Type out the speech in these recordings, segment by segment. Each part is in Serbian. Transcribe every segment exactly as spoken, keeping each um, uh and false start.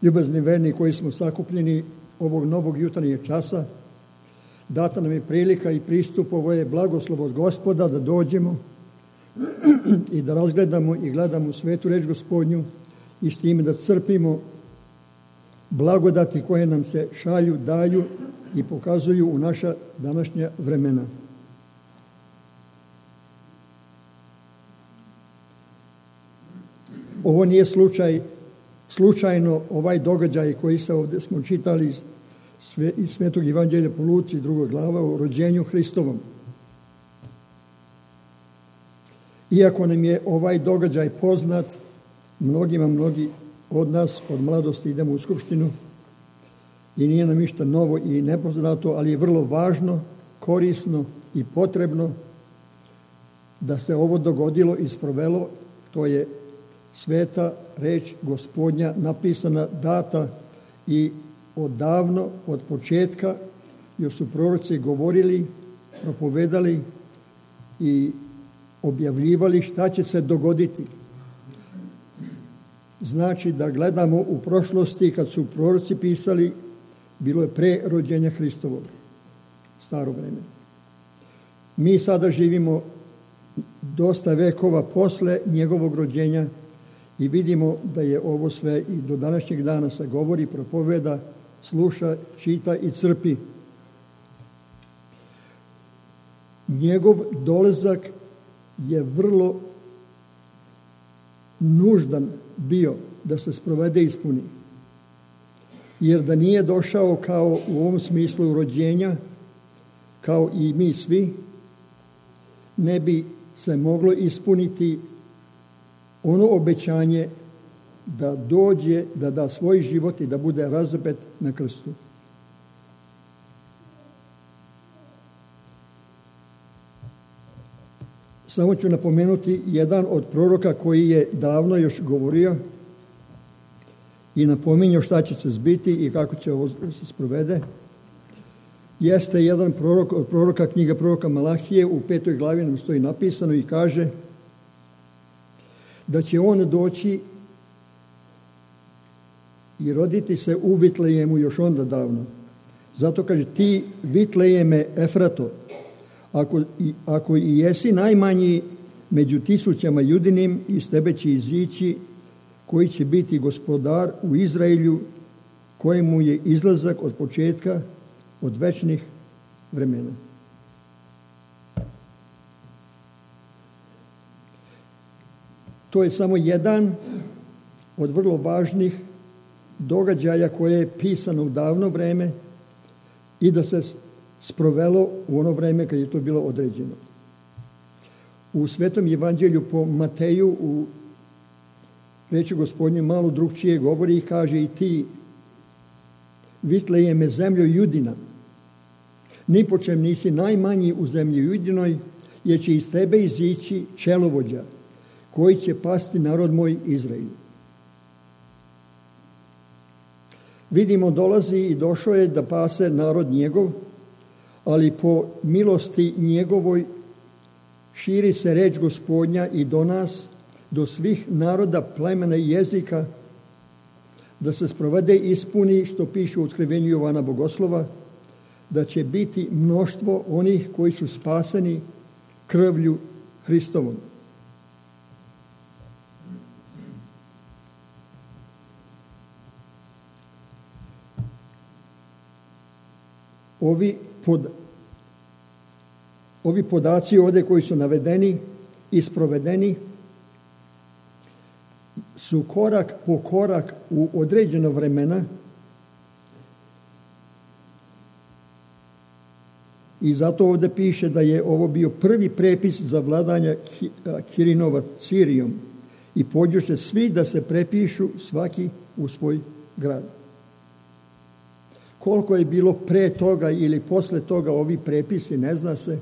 Ljubazni verni koji smo sakupljeni ovog novog jutarnjeg časa, data nam je prilika i pristup, ovo je blagoslov od Gospoda da dođemo i da razgledamo i gledamo svetu reč Gospodnju i s time da crpimo blagodati koje nam se šalju, daju i pokazuju u naša današnja vremena. Ovo nije slučaj, slučajno ovaj događaj koji se ovdje smo čitali iz, sve, iz Svetog Evanđelja po Luci, drugoj glava, o rođenju Hristovom. Iako nam je ovaj događaj poznat, mnogima, mnogi od nas od mladosti idemo u skupštinu i nije nam ništa novo i nepoznato, ali je vrlo važno, korisno i potrebno da se ovo dogodilo i sprovelo. To je sveta reč Gospodnja napisana, data i odavno, od početka, još su proroci govorili, propovedali i objavljivali šta će se dogoditi. Znači da gledamo u prošlosti, kad su proroci pisali, bilo je pre rođenja Hristovog, staro vreme. Mi sada živimo dosta vekova posle njegovog rođenja i vidimo da je ovo sve i do današnjeg dana se govori, propoveda, sluša, čita i crpi. Njegov dolazak je vrlo nuždan bio da se sprovede i ispuni. Jer da nije došao kao u ovom smislu rođenja, kao i mi svi, ne bi se moglo ispuniti ono obećanje da dođe, da da svoj život i da bude razapet na krstu. Samo ću napomenuti jedan od proroka koji je davno još govorio i napominjao šta će se zbiti i kako će ovo se sprovede. Jeste jedan prorok od proroka, knjiga proroka Malahije, u petoj glavi nam stoji napisano i kaže da će on doći i roditi se u Vitlejemu još onda davno. Zato kaže, ti Vitlejeme Efrato, ako i, ako i jesi najmanji među tisućama judinim, iz tebe će izići koji će biti gospodar u Izraelju, kojemu je izlazak od početka, od večnih vremena. To je samo jedan od vrlo važnih događaja koje je pisano u davno vreme i da se sprovelo u ono vreme kad je to bilo određeno. U Svetom Evanđelju po Mateju u reči Gospodnje malo drugčije govori i kaže i ti Vitlejeme zemljo Judina, ni po čem nisi najmanji u zemlji Judinoj, jer će iz tebe izići čelovođa koji će pasti narod moj Izrael. Vidimo, dolazi i došao je da pase narod njegov, ali po milosti njegovoj širi se reč Gospodnja i do nas, do svih naroda, plemena i jezika, da se sprovede i ispuni što piše u otkrivenju Jovana Bogoslova, da će biti mnoštvo onih koji su spaseni krvlju Hristovom. Ovi, pod, ovi podaci ovdje koji su navedeni i sprovedeni su korak po korak u određeno vremena i zato ovdje piše da je ovo bio prvi prepis za vladanja Kirinova Sirijom i pođoše svi da se prepišu svaki u svoj grad. Koliko je bilo pre toga ili posle toga ovi prepisi, ne zna se.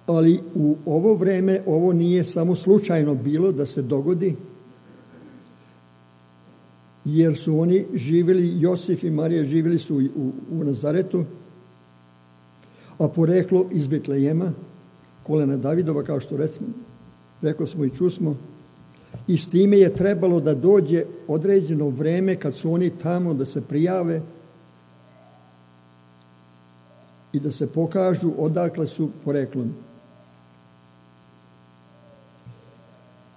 Ali u ovo vreme ovo nije samo slučajno bilo da se dogodi, jer su oni živjeli, Josif i Marija živjeli su u, u Nazaretu, a poreklo iz Vitlejema, kolena Davidova, kao što recimo, rekli smo i čusmo, I s time je trebalo da dođe određeno vreme kad su oni tamo da se prijave i da se pokažu odakle su poreklom.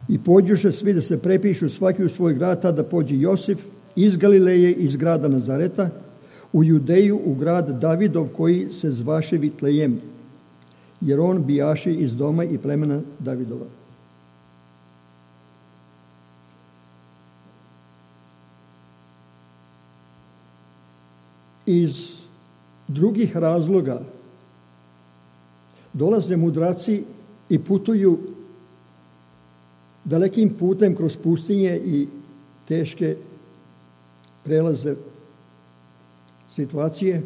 I pođoše svi da se prepišu svaki u svoj grad, tada pođe Josif iz Galileje, iz grada Nazareta, u Judeju, u grad Davidov koji se zvaše Vitlejem, jer on bijaše iz doma i plemena Davidova. Iz drugih razloga dolaze mudraci i putuju dalekim putem kroz pustinje i teške prelaze situacije.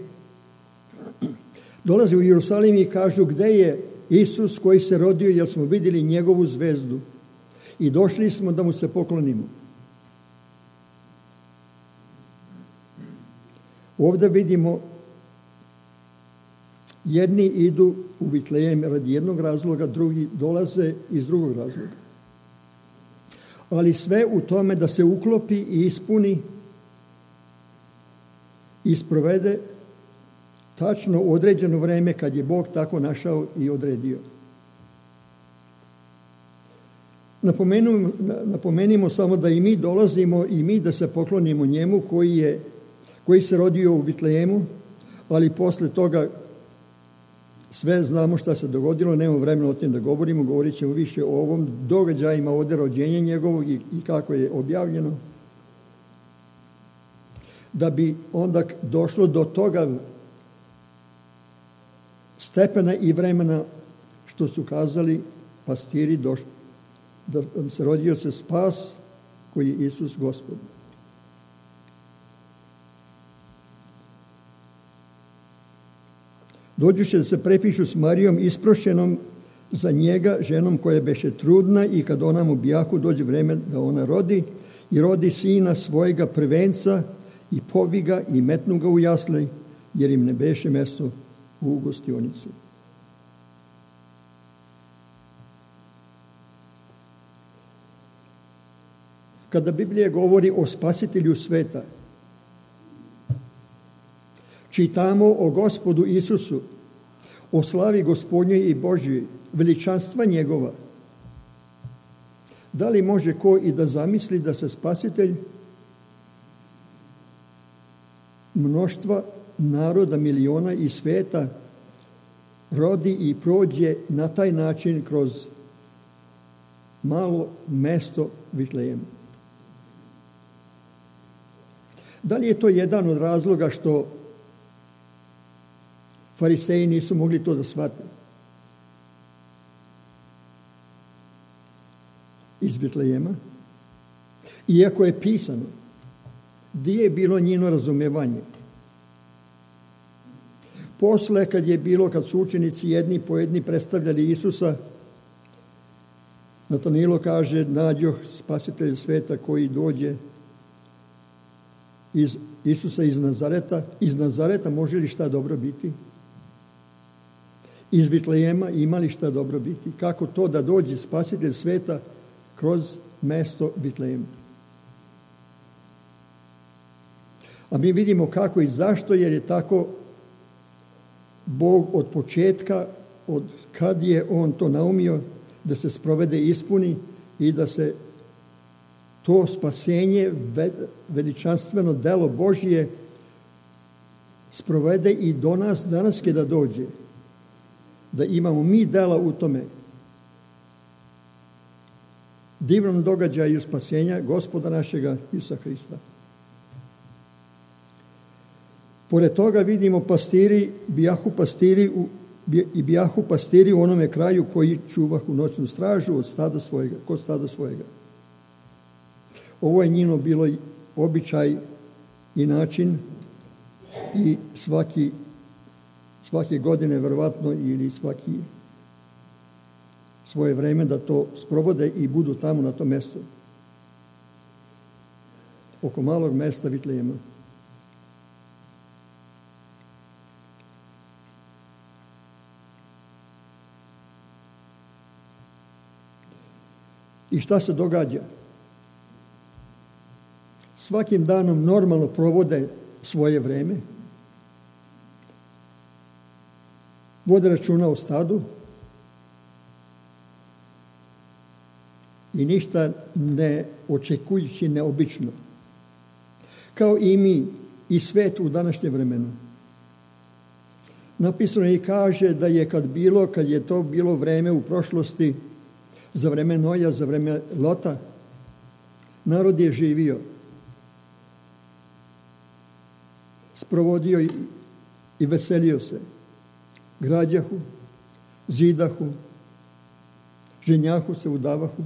Dolaze u Jerusalim i kažu gde je Isus koji se rodio, jer smo vidjeli njegovu zvezdu i došli smo da mu se poklonimo. Ovdje vidimo jedni idu u Vitlejem radi jednog razloga, drugi dolaze iz drugog razloga. Ali sve u tome da se uklopi i ispuni i sprovede tačno određeno vreme kad je Bog tako našao i odredio. Napomenimo, napomenimo samo da i mi dolazimo i mi da se poklonimo njemu koji, je, koji se rodio u Vitlejemu, ali posle toga sve znamo šta se dogodilo, nemamo vremena o tim da govorimo, govorit ćemo više o ovom događajima ovdje rođenja njegovog i, i kako je objavljeno. Da bi onda došlo do toga stepena i vremena što su kazali pastiri došli, da se rodio se spas koji je Isus Gospod. Dođuše da se prepišu s Marijom isprošenom za njega, ženom koja beše trudna, i kad ona mu bijahu dođe vreme da ona rodi, i rodi sina svojega prvenca i poviga i metnu ga u jasle, jer im ne beše mesto u gostionici. Kada Biblija govori o spasitelju sveta, čitamo o Gospodu Isusu, o slavi Gospodnjoj i Božjoj, veličanstva njegova. Da li može ko i da zamisli da se spasitelj mnoštva naroda, miliona i sveta rodi i prođe na taj način kroz malo mesto Vitlejem? Da li je to jedan od razloga što Fariseji nisu mogli to da shvate? Iz Vitlejema. Iako je pisano, gdje je bilo njeno razumevanje? Posle, kad je bilo, kad su učenici jedni po jedni predstavljali Isusa, Natanilo kaže, nađoh spasitelj sveta koji dođe iz Isusa iz Nazareta. Iz Nazareta može li šta dobro biti? Iz Vitlejema ima li šta dobro biti? Kako to da dođe spasitelj sveta kroz mesto Vitlejema? A mi vidimo kako i zašto, jer je tako Bog od početka, od kad je on to naumio da se sprovede i ispuni i da se to spasenje, veličanstveno delo Božje sprovede i do nas danas kada dođe. Da imamo mi dela u tome divnom događaju spasenja Gospoda našega Isusa Hrista. Pored toga vidimo pastiri, bijahu pastiri u, i bijahu pastiri u onome kraju koji čuvahu noćnu stražu od stada svojega, kod stada svojega. Ovo je njino bilo običaj i način i svaki, svake godine verovatno ili svaki svoje vreme da to sprovode i budu tamo na tom mjestu. Oko malog mesta Vitlejema. I šta se događa? svakim danom normalno provode svoje vreme, vode računa o stadu i ništa ne očekujući neobično. Kao i mi i svet u današnje vremenu. Napisano i kaže da je kad bilo, kad je to bilo vreme u prošlosti, za vreme Noja, za vreme Lota, narod je živio, sprovodio i, i veselio se, građahu, zidahu, ženjahu se, udavahu,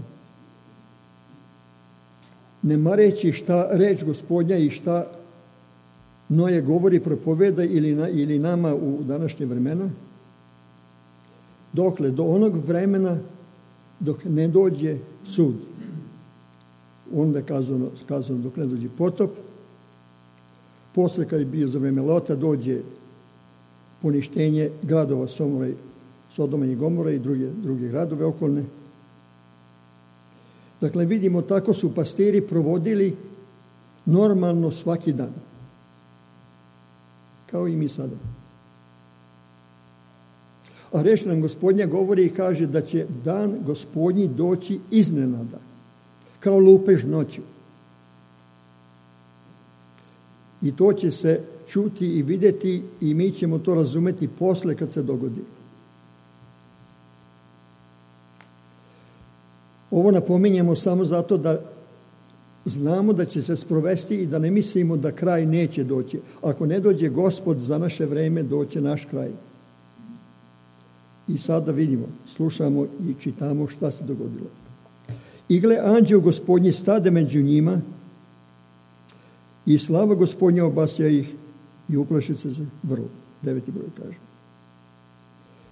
ne mareći šta reč Gospodnja i šta Noje govori, propoveda ili, na, ili nama u današnje vremena, dokle do onog vremena dok ne dođe sud. Onda je kazano, kazano dok ne dođe potop, posle kad je bio za vreme Lota dođe poništenje gradova Somora, Sodoma i Gomora i druge, druge gradove okolne. Dakle, vidimo, tako su pastiri provodili normalno svaki dan. Kao i mi sada. A reč nam Gospodnja govori i kaže da će dan Gospodnji doći iznenada, kao lupež noću. I to će se čuti i vidjeti i mi ćemo to razumeti posle kad se dogodi. Ovo napominjemo samo zato da znamo da će se sprovesti i da ne mislimo da kraj neće doći. Ako ne dođe Gospod za naše vreme, doće naš kraj. I sada vidimo, slušamo i čitamo šta se dogodilo. I gle, anđeo Gospodnji stade među njima i slava Gospodnja obasja ih i uplaši se vrlo. Deveti broj kaže.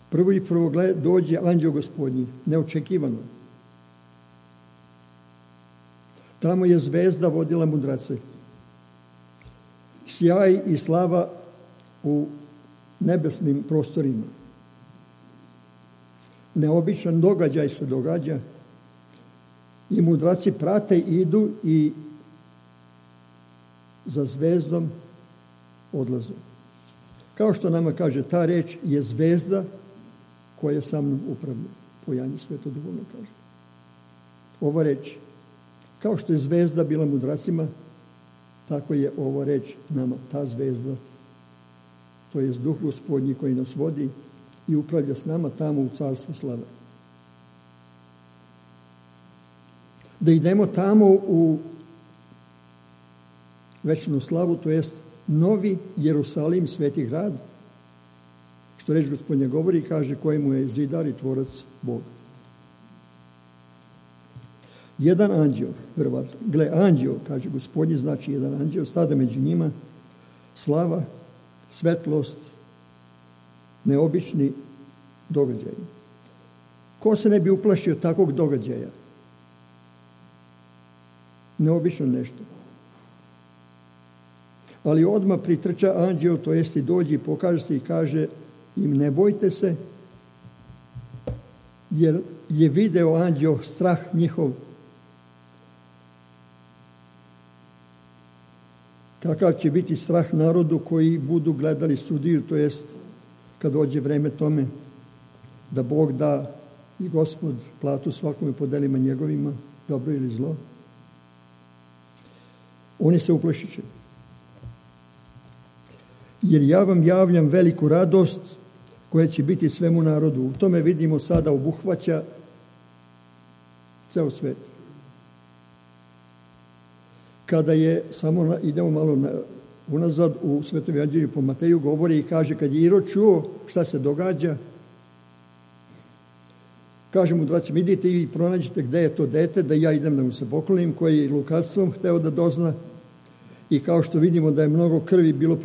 Prvo i prvo gle, dođe anđeo Gospodnji, neočekivano. Tamo je zvezda vodila mudrace. Sjaj i slava u nebesnim prostorima. Neobičan događaj se događa i mudraci prate, idu i za zvezdom odlaze. Kao što nama kaže, ta reč je zvezda koja sa mnom upravlja. Po Jani Svetoduhovno kaže. Ova reč, kao što je zvezda bila mudracima, tako je ova reč nama, ta zvezda. To je Duh Gospodnji koji nas vodi i upravlja s nama tamo u carstvu slave. Da idemo tamo u večnu slavu, to jest novi Jerusalim, sveti grad, što reč Gospodnja govori, kaže kojemu je zidar i tvorac Bog. Jedan anđeo, verovatno, gle, anđeo, kaže Gospodnji, znači jedan anđeo, stade među njima, slava, svetlost, neobični događaj. Ko se ne bi uplašio takvog događaja? Neobično nešto. Ali odmah pritrča anđeo, to jest i dođe i pokaže se i kaže im ne bojte se, jer je video anđeo strah njihov. Kakav će biti strah narodu koji budu gledali sudiju, to jest kad dođe vreme tome da Bog da i Gospod platu svakome po delima njegovima, dobro ili zlo. Oni se uplašiće. Jer ja vam javljam veliku radost koja će biti svemu narodu. U tome vidimo sada obuhvaća ceo svet. Kada je, samo na, idemo malo na, unazad u Svetom evanđelju po Mateju, govori i kaže kad je Irod čuo šta se događa, kaže mu dracima, idite i pronađite gde je to dete, da ja idem da mu se poklonim, koji je lukavstvom hteo da dozna. I kao što vidimo da je mnogo krvi bilo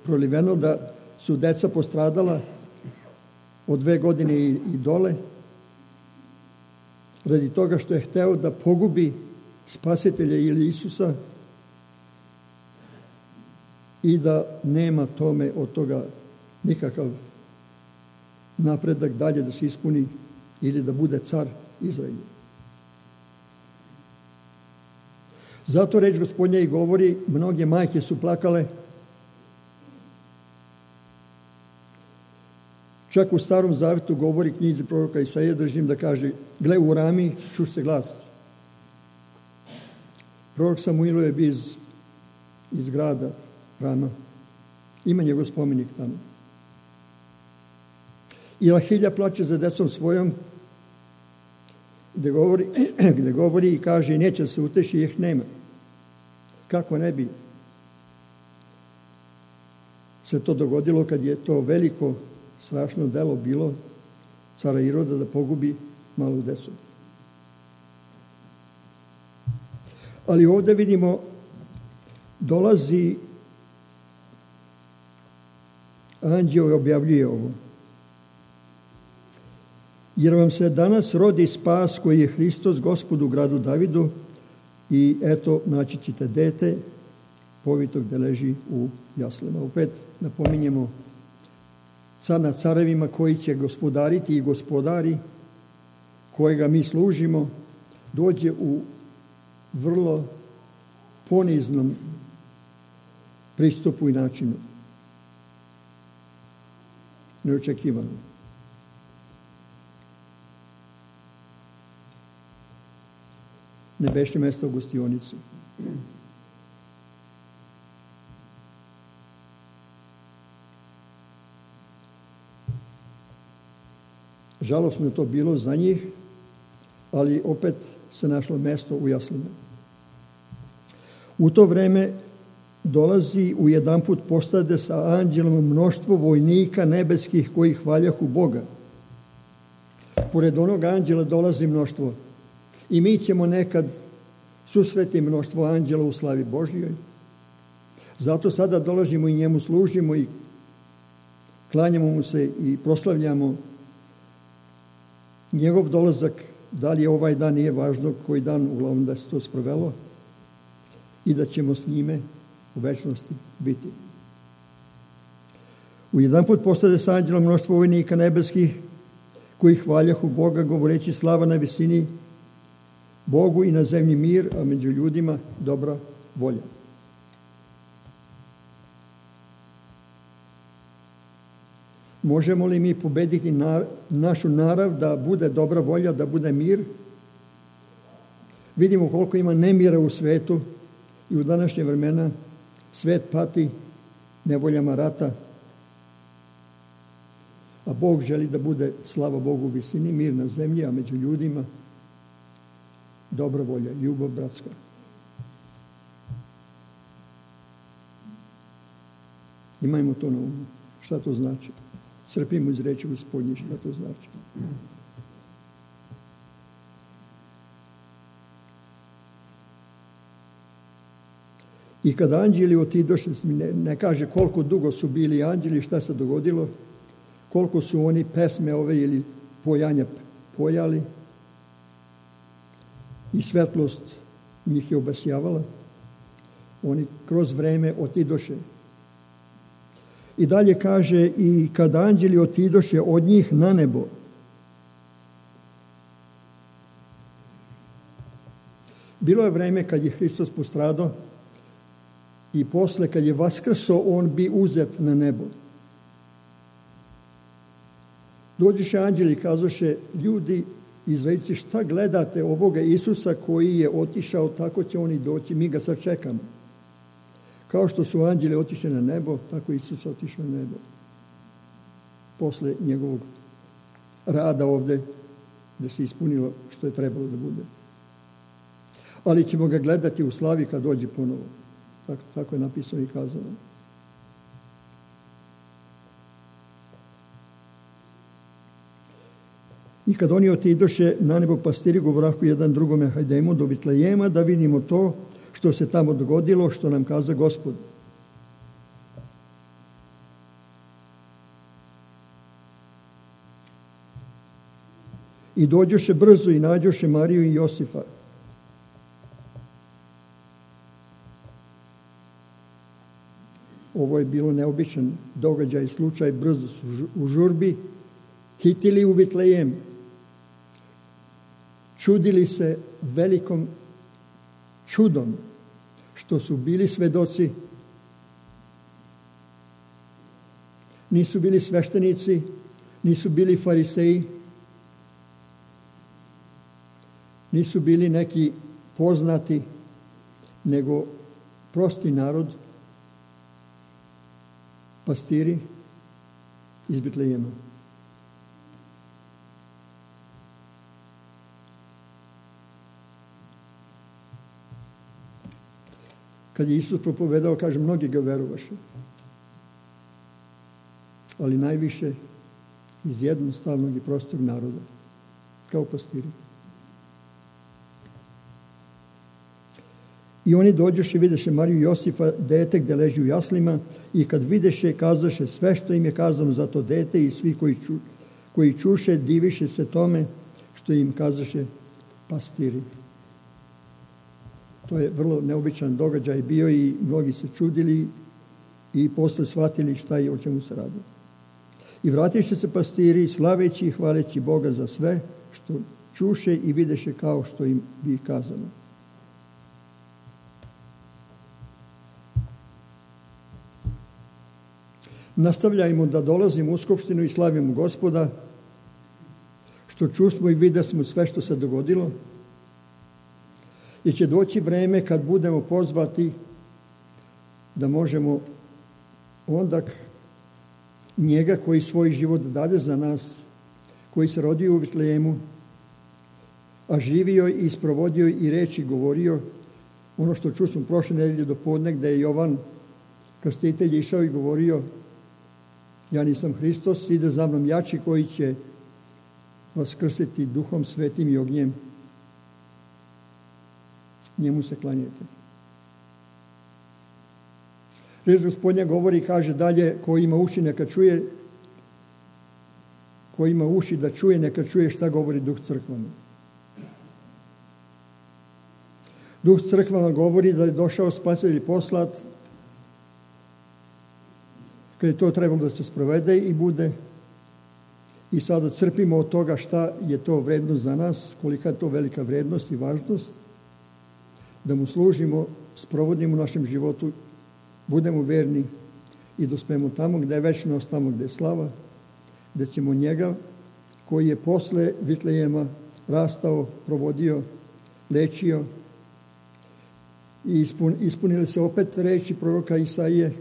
proliveno, da su deca postradala od dve godine i, i dole, radi toga što je hteo da pogubi Spasitelja ili Isusa i da nema tome od toga nikakav napredak dalje da se ispuni ili da bude car Izraelja. Zato reč Gospodnja i govori, mnoge majke su plakale. Čak u Starom Zavetu govori knjizi proroka Isaije, držim da kaže, gle u Rami, čuš se glas. Prorok Samuil je bio iz, iz grada Rama. Ima njegov spomenik tamo. I Rahilja plače za decom svojom, gde govori, gde govori i kaže, neće se uteši, ih nema. Kako ne bi se to dogodilo kad je to veliko, strašno delo bilo cara Iroda da pogubi malu decu. Ali ovdje vidimo, dolazi anđeo i objavljuje ovo. Jer vam se danas rodi spas koji je Hristos, Gospod u gradu Davidu, i eto, naći ćete dete povito gde leži u jaslama. Opet napominjemo, car nad carevima koji će gospodariti i gospodari, kojega mi služimo, dođe u vrlo poniznom pristupu i načinu. Neočekivano. Nebešće mjesto u gostionici. Žalosno je to bilo za njih, ali opet se našlo mjesto u jaslinama. U to vreme dolazi u jedan put postade sa anđelom mnoštvo vojnika nebeskih koji hvaljahu Boga. Pored onog anđela dolazi mnoštvo. I mi ćemo nekad susreti mnoštvo anđela u slavi Božjoj. Zato sada dolazimo i njemu služimo i klanjamo mu se i proslavljamo njegov dolazak. Da li je ovaj dan, nije važno koji dan, uglavnom da se to sprovelo i da ćemo s njime u večnosti biti. U jedan put postade sa anđelom mnoštvo vojnika nebeskih koji hvaljahu Boga, govoreći slava na visini Bogu i na zemlji mir, a među ljudima dobra volja. Možemo li mi pobediti na, našu narav da bude dobra volja, da bude mir? Vidimo koliko ima nemira u svetu i u današnje vremena svet pati nevoljama rata, a Bog želi da bude, slava Bogu, u visini, mir na zemlji, a među ljudima dobra volja, ljubav bratska. Imajmo to na umu. Šta to znači? Crpimo iz reči Gospodnje šta to znači. I kad anđeli otidoše, ne, ne kaže koliko dugo su bili anđeli, šta se dogodilo, koliko su oni pesme ove ili pojanja pojali i svetlost njih je obasjavala. Oni kroz vreme otidoše. I dalje kaže, i kad anđeli otidoše od njih na nebo, bilo je vreme kad je Hristos postradao i posle kad je vaskrso, on bi uzet na nebo. Dođoše anđeli i kazoše, ljudi, Izraelci, šta gledate ovoga Isusa koji je otišao, tako će oni doći, mi ga sad čekamo. Kao što su anđeli otišli na nebo, tako i Isus otišao na nebo. Posle njegovog rada ovdje, da se ispunilo što je trebalo da bude. Ali ćemo ga gledati u slavi kad dođe ponovo. Tako, tako je napisano i kazano. I kad oni otidoše na nebo, pastiri govorahu jedan drugome, hajdemo do Vitlejema da vidimo to što se tamo dogodilo, što nam kaza Gospod. I dođoše brzo i nađoše Mariju i Josifa. Ovo je bilo neobičan događaj, slučaj, brzo su u žurbi hitili u Vitlejem. Čudili se velikom čudom što su bili svedoci, nisu bili sveštenici, nisu bili fariseji, nisu bili neki poznati, nego prosti narod, pastiri iz Betlejema. Kad je Isus propovedao, kaže, mnogi ga verovaše. Ali najviše iz jednostavnog i prostog naroda, kao pastiri. I oni dođoše, videše Mariju i Josifa, dete gde leži u jaslima, i kad videše, kazaše sve što im je kazano za to dete, i svi koji, ču, koji čuše, diviše se tome što im kazaše pastiri. To je vrlo neobičan događaj bio i mnogi se čudili i posle shvatili šta je, o čemu se radi. I vratiše se pastiri, slaveći i hvaleći Boga za sve što čuše i videše kao što im bi kazano. Nastavljajmo da dolazimo u skupštinu i slavimo Gospoda, što čusmo i videsmo sve što se dogodilo, i će doći vreme kad budemo pozvati da možemo onda njega koji svoj život dade za nas, koji se rodio u Betlejemu, a živio i isprovodio i reči govorio, ono što čusmo prošle nedelje do podne, gde je Jovan Krstitelj išao i govorio, ja nisam Hristos, ide za mnom jači koji će vas krstiti Duhom Svetim i ognjem. Njemu se klanjajte. Reč Gospodnja govori i kaže dalje, ko ima uši neka čuje, ko ima uši da čuje, neka čuje šta govori Duh crkvama. Duh crkvama govori da je došao spasitelj poslat, kad je to trebalo da se sprovede i bude, i sada crpimo od toga šta je to vrednost za nas, kolika je to velika vrednost i važnost, da mu služimo, sprovodimo u našem životu, budemo verni i dospemo tamo gde je večnost, tamo gde je slava, gde ćemo njega, koji je posle Betlejema rastao, provodio, lečio, i ispun, ispunili se opet reči proroka Isaije,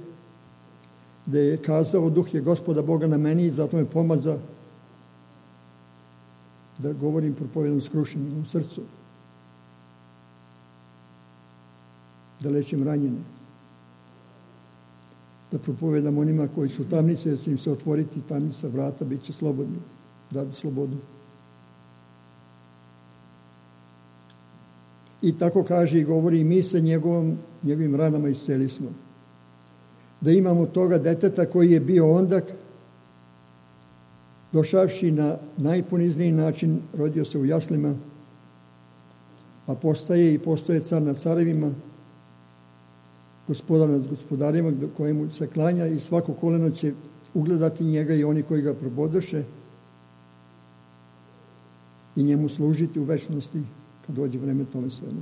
gde je kazao, Duh je Gospoda Boga na meni, i zato me pomaza da govorim propovedom skrušenim u srcu, da lečim ranjene, da propovedam onima koji su tamnice, da će im se otvoriti tamnica vrata, bit će slobodni, dati slobodu. I tako kaže i govori, i mi se njegovom, njegovim ranama isceli smo. Da imamo toga deteta koji je bio ondak, došavši na najponizniji način, rodio se u jaslima, a postaje i postoje car nad carevima, gospodar nad gospodarima, kojemu se klanja, i svako koleno će ugledati njega i oni koji ga probodoše i njemu služiti u večnosti kad dođe vreme tome svemu.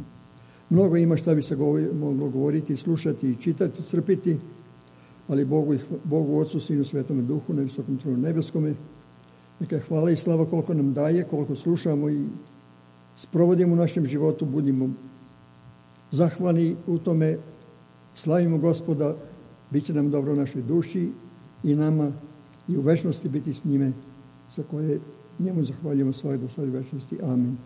Mnogo ima šta bi se govori, moglo govoriti, slušati i čitati, crpiti, ali Bogu, Bogu Otcu, Sinu, Svetome Duhu, na visokom tronu nebeskome, neka je hvala i slava koliko nam daje, koliko slušamo i sprovodimo u našem životu, budimo zahvalni u tome, slavimo Gospoda, bit će nam dobro u našoj duši i nama i u večnosti biti s njime, za koje njemu zahvaljujemo svoje do sada večnosti. Amin.